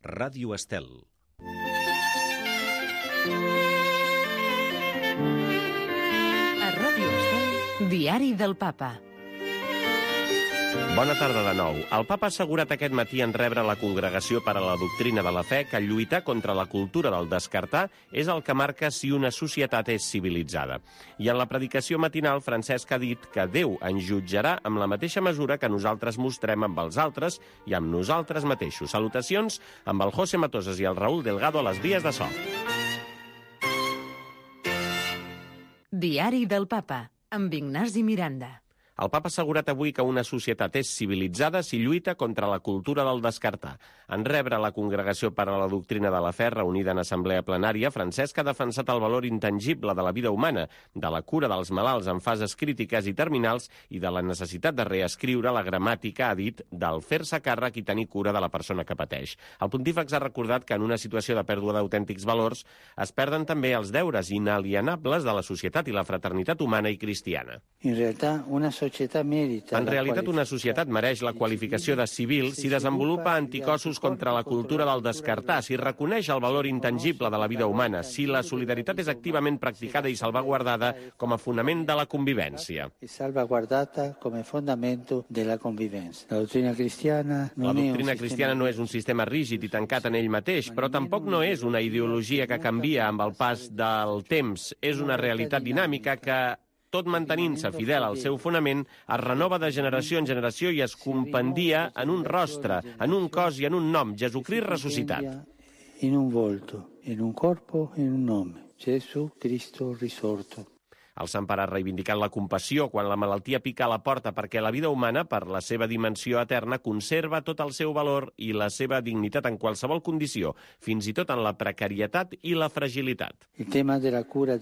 Ràdio Estel. A Ràdio Estel, Diari del Papa. Bona tarda de nou. El papa ha assegurat aquest matí en rebre la Congregació per a la Doctrina de la Fe que lluitar contra la cultura del descartar és el que marca si una societat és civilitzada. I en la predicació matinal, Francesc ha dit que Déu ens jutjarà amb la mateixa mesura que nosaltres mostrem amb els altres i amb nosaltres mateixos. Salutacions amb el José Matosas i el Raúl Delgado a les vies de so. Diari del Papa, amb Ignasi Miranda. El papa ha assegurat avui que una societat és civilitzada si lluita contra la cultura del descartar. En rebre la Congregació per a la Doctrina de la Fe reunida en assemblea plenària, Francesc ha defensat el valor intangible de la vida humana, de la cura dels malalts en fases crítiques i terminals i de la necessitat de reescriure la gramàtica, ha dit, del fer-se càrrec i tenir cura de la persona que pateix. El pontífex ha recordat que en una situació de pèrdua d'autèntics valors es perden també els deures inalienables de la societat i la fraternitat humana i cristiana. En realitat, una societat mereix la qualificació de civil si desenvolupa anticossos contra la cultura del descartar, si reconeix el valor intangible de la vida humana, si la solidaritat és activament practicada i salvaguardada com a fonament de la convivència. La doctrina cristiana no és un sistema rígid i tancat en ell mateix, però tampoc no és una ideologia que canvia amb el pas del temps. És una realitat dinàmica que, tot mantenint-se fidel al seu fonament, es renova de generació en generació i es compendia en un rostre, en un cos i en un nom, Jesucrist ressuscitat. En un volto, en un corpo, en un nome, Jesucristo risorto. El Sant Pare ha reivindicat la compassió quan la malaltia pica a la porta perquè la vida humana, per la seva dimensió eterna, conserva tot el seu valor i la seva dignitat en qualsevol condició, fins i tot en la precarietat i la fragilitat. El tema de la cura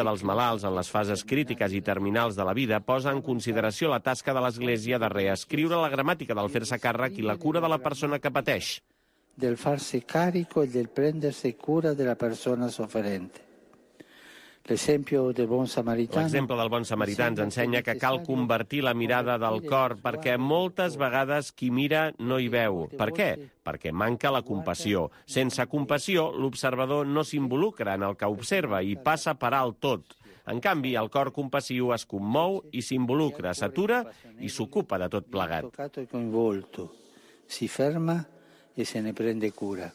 dels malalts en les fases crítiques i terminals de la vida posa en consideració la tasca de l'Església de reescriure la gramàtica del fer-se càrrec i la cura de la persona que pateix. Del farsi carico e del prendersi cura de la persona sofferente. L'exemple del bon samarità ens ensenya que cal convertir la mirada del cor perquè moltes vegades qui mira no hi veu. Per què? Perquè manca la compassió. Sense compassió, l'observador no s'involucra en el que observa i passa per alt tot. En canvi, el cor compassiu es commou i s'involucra, s'atura i s'ocupa de tot plegat. Si ferma i se ne prende cura.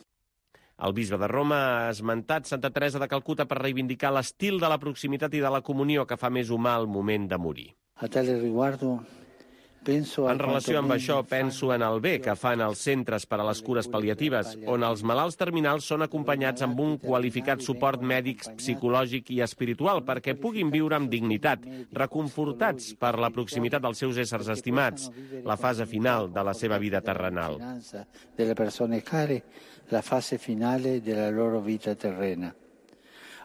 El bisbe de Roma ha esmentat Santa Teresa de Calcuta per reivindicar l'estil de la proximitat i de la comunió que fa més humà el moment de morir. En relació amb això, penso en el bé que fan els centres per a les cures pal·liatives, on els malalts terminals són acompanyats amb un qualificat suport mèdic, psicològic i espiritual perquè puguin viure amb dignitat, reconfortats per la proximitat dels seus éssers estimats, la fase final de la seva vida terrenal. La fase finale della loro vita terrena.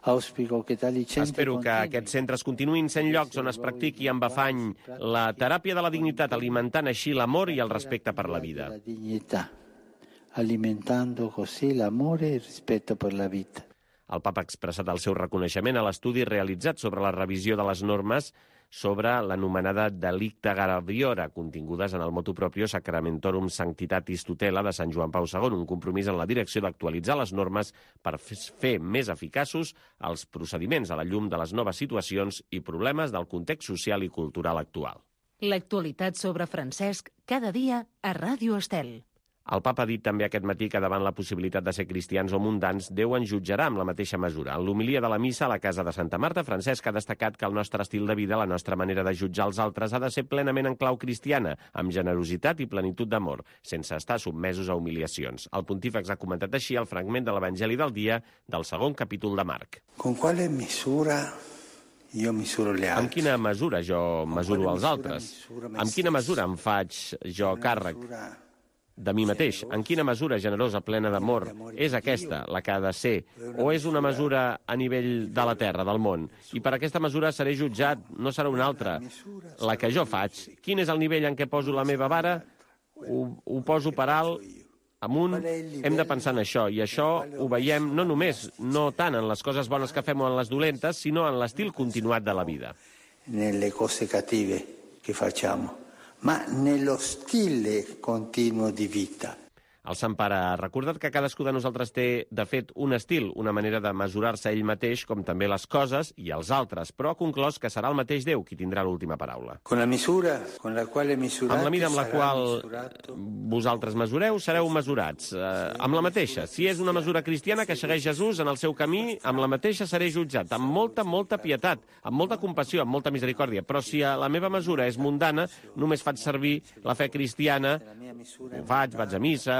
Espero que aquests centres continuïn sent llocs on es practiqui amb afany la teràpia de la dignitat, alimentant així l'amor i el respecte per la vida. Alimentando così l'amore e il rispetto per la vita. El papa ha expressat el seu reconeixement a l'estudi realitzat sobre la revisió de les normes sobre l'anomenada delicta graviora, contingudes en el motu proprio Sacramentorum Sanctitatis Tutela de Sant Joan Pau II, un compromís en la direcció d'actualitzar les normes per fer més eficaços els procediments a la llum de les noves situacions i problemes del context social i cultural actual. L'actualitat sobre Francesc, cada dia a Ràdio Estel. El papa ha dit també aquest matí que davant la possibilitat de ser cristians o mundans, Déu ens jutjarà amb la mateixa mesura. En l'homilia de la missa a la casa de Santa Marta, Francesc ha destacat que el nostre estil de vida, la nostra manera de jutjar els altres, ha de ser plenament en clau cristiana, amb generositat i plenitud d'amor, sense estar sotmesos a humiliacions. El pontífex ha comentat així el fragment de l'Evangeli del dia del segon capítol de Marc. Con quale misura io misuro gli altri? Amb quina mesura jo mesuro els altres? Amb quina mesura em faig jo càrrec de mi mateix? En quina mesura generosa, plena d'amor, és aquesta la que ha de ser? O és una mesura a nivell de la terra, del món? I per aquesta mesura seré jutjat, no serà una altra. La que jo faig, quin és el nivell en què poso la meva vara? Ho poso per alt, amunt, hem de pensar en això. I això ho veiem no només, no tant en les coses bones que fem o en les dolentes, sinó en l'estil continuat de la vida. Nelle cose cattive che facciamo, ma nello stile continuo di vita. El Sant Pare ha recordat que cadascú de nosaltres té, de fet, un estil, una manera de mesurar-se ell mateix, com també les coses i els altres, però ha conclòs que serà el mateix Déu qui tindrà l'última paraula. Amb la mida amb la qual vosaltres mesureu, sereu mesurats. Amb la mateixa. Si és una mesura cristiana que segueix Jesús en el seu camí, amb la mateixa seré jutjat, amb molta pietat, amb molta compassió, amb molta misericòrdia. Però si la meva mesura és mundana, només faig servir la fe cristiana, ho faig, vaig a missa,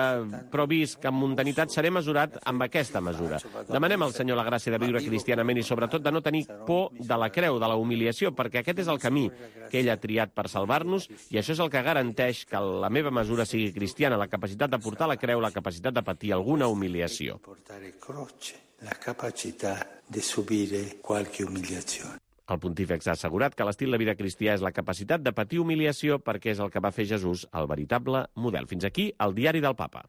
però vist que amb mundanitat seré mesurat amb aquesta mesura. Demanem al Senyor la gràcia de viure cristianament i sobretot de no tenir por de la creu, de la humiliació, perquè aquest és el camí que ell ha triat per salvar-nos i això és el que garanteix que la meva mesura sigui cristiana, la capacitat de portar la creu, la capacitat de patir alguna humiliació. La capacitat de subire qualche humiliazione. El pontífex ha assegurat que l'estil de vida cristià és la capacitat de patir humiliació perquè és el que va fer Jesús, el veritable model. Fins aquí el diari del Papa.